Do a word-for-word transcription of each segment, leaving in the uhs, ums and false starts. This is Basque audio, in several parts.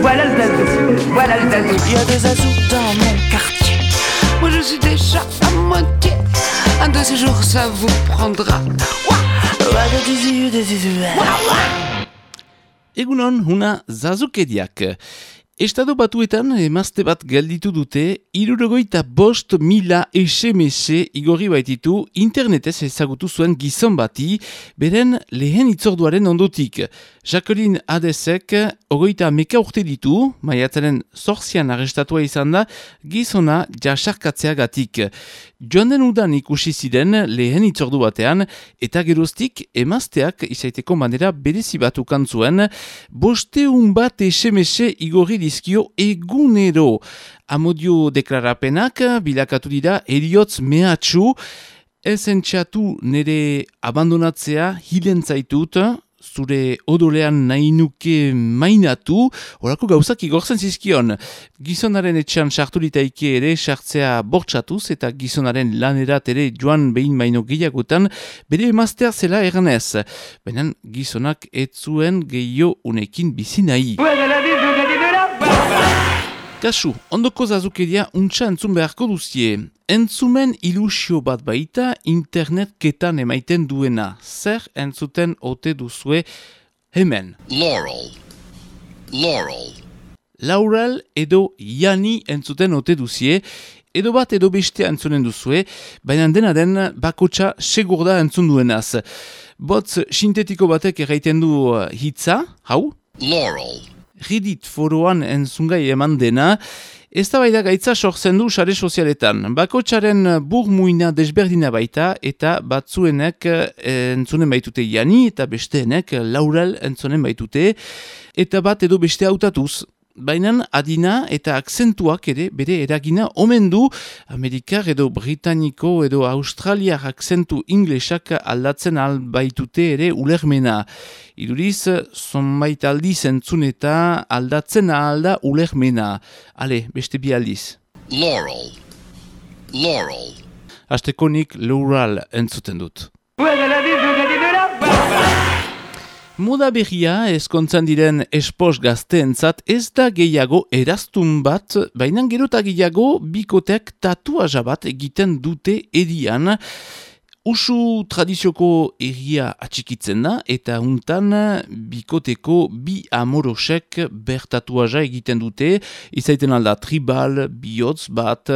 Voilà le zazou, voilà le zazou. Il y a des zazous dans mon quartier. Moi je suis déjà à moitié. Un de ces jours ça vous prendra. Egunon, huna zazukeriak. Estatu Batuetan emazte bat gelditu dute, hirurogeita bost mila S M S igorri baititu internetez ezagutu zuen gizon bati, beren lehen itzorduaren ondotik. Jacqueline Adesek ogoita meka urte ditu, maiatzaren zorzian arrestatua izan da, gizona jasarkatzeagatik. Joan den udan ikusi ziren lehen itzordu batean, eta geroztik emazteak izaiteko manera berezi bat ukan zuen, bosteun bat S M S igorri dizkio egunero. Amodio deklarapenak bilakatu dira eriotz mehatxu, ez entxatu nire abandonatzea hilen zaitut, zure odolean nahi nuke mainatu, horako gauzak igortzen zizkion. Gizonaren etxean sartu ditaike ere sartzea bortxatuz eta gizonaren lanerat ere joan behin baino gehiagotan bere emaztea zela erganez. Baina gizonak ez zuen gehiago unekin bizi nahi. Kasu, ondoko zazukeria untxa entzun beharko duzie. Entzumen ilusio bat baita internet ketan emaiten duena. Zer entzuten ote duzue hemen. Laurel. Laurel. Laurel edo Jani entzuten ote duzie. Edo bat edo bestea entzunen duzue, baina dena den bakotxa segur da entzun duenaz. Botz sintetiko batek erraiten du hitza, hau? Laurel. Reddit foroan entzungai eman dena, ez da baida gaitza sortzen du sare sozialetan. Bakotxaren burmuina desberdina baita eta batzuenek entzunen baitute Jani eta besteenek Laurel entzunen baitute eta bat edo beste hautatuz. Baina adina eta akzentuak ere bere eragina omen du Amerikar edo Britaniko edo Australiar akzentu inglesak aldatzen albaitute ere ulermena. Iduriz, zonbait aldiz entzun eta aldatzen alda ulermena. Ale, beste bi aldiz. Laurel. Laurel. Astekonik Laurel entzuten dut. Moda berria ezkontzan diren espos gazteentzat ez da gehiago eraztun bat, baina gerota gehiago bikoteak tatuaja bat egiten dute edian. Usu tradizioko erria atxikitzen da eta untan bikoteko bi amorosek bertatuaja egiten dute, izaiten alda tribal, bihotz bat,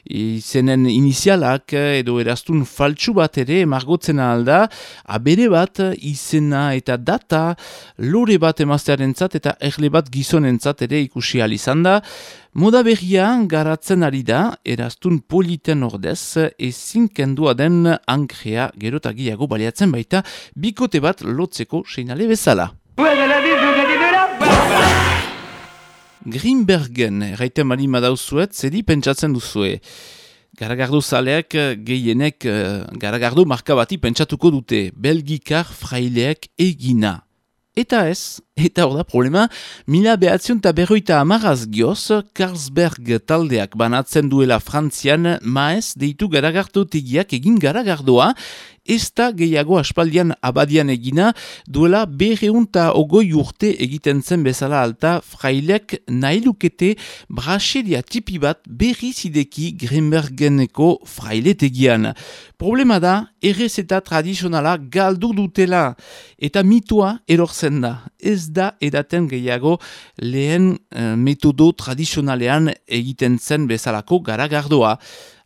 izenen inizialak edo eraztun faltsu bat ere margotzen alda, abere bat izena eta data, lore bat emaztearentzat eta erle bat gizonentzat ere ikusi alizan da. Moda berria garatzen ari da, eraztun politen ordez, ezin kendua den ankrea gerotagiago baliatzen baita, bikote bat lotzeko seinale bezala. Grimbergen, erraiten mali madauzuet, zedi pentsatzen duzue. Garagardo zaleak gehienek garagardo marka bati pentsatuko dute, belgikar fraileak egina. Eta ez, eta hor da problema, mila behatzion eta berroita amaraz gioz, Carlsberg taldeak banatzen duela Frantzian, maez deitu garagardotegiak egin garagardoa, ez da gehiago aspaldian abadian egina, duela berreunta ogoi urte egiten zen bezala alta, frailek nahi lukete braseria tipi bat berri zideki Grimbergeneko frailetegian. Problema da, errezeta tradizionala galdu dutela, eta mitua erortzen da. Ez da edaten gehiago lehen uh, metodo tradizionalean egiten zen bezalako garagardoa.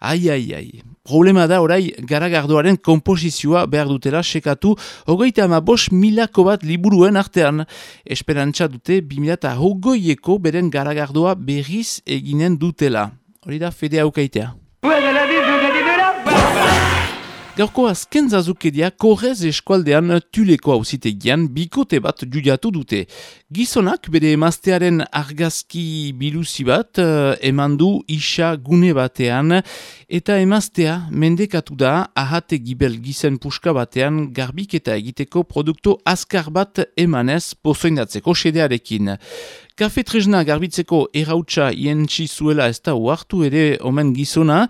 Ai, ai, ai. Problema da orai garagardoaren komposizioa behar dutela sekatu hogeita ama bost milako bat liburuen artean. Esperantza dute bi mila eta hogoieko beren garagardoa berriz eginen dutela. Hori da fede haukaitea. Gaurko azken zazukeria Korrez eskualdean Tuleko auzitegian bikote bat judiatu dute. Gizonak bere emaztearen argazki biluzi bat eman du isa gune batean eta emaztea mendekatu da ahate gibel gizen puska batean garbiketa egiteko produktu azkar bat emanez pozoindatzeko sedearekin. Kafe tresna garbitzeko errautsa ientsi zuela ez da uartu ere omen gizona,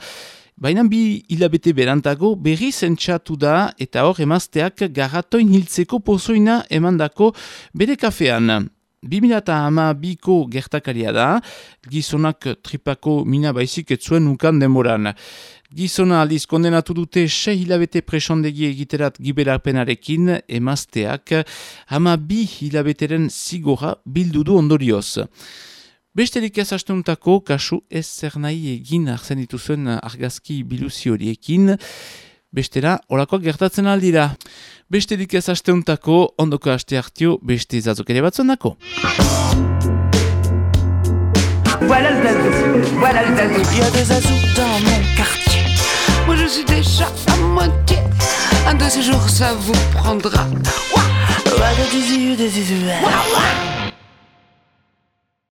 baina bi hilabete berantago berri zentsatu da eta hor emazteak garratoin hiltzeko pozoina emandako bere kafean. bi mila hamabiko gertakaria da, gizonak tripako mina baizik ez zuen ukan denboran. Gizona aldiz kondenatu dute sei hilabete presondegi egiterat giberapenarekin, emazteak hama bi hilabeteren zigora bildu du ondorioz. Besterik ez asteuntako kasu ez zer nahi egin arzen dituzuen argazki biluzi horiekin, bestera olakoak gertatzen aldira. Besterik ez asteuntako ondoko aste hartio beste zazok ere batzuen dako. Voilà le zazou, voilà le zazou. Il y a des azous dans mon quartier. Moi je suis déjà à moitié. Un de ces jours ça vous prendra. Ouah, ouah, des yeux, des yeux. Ouah, ouah.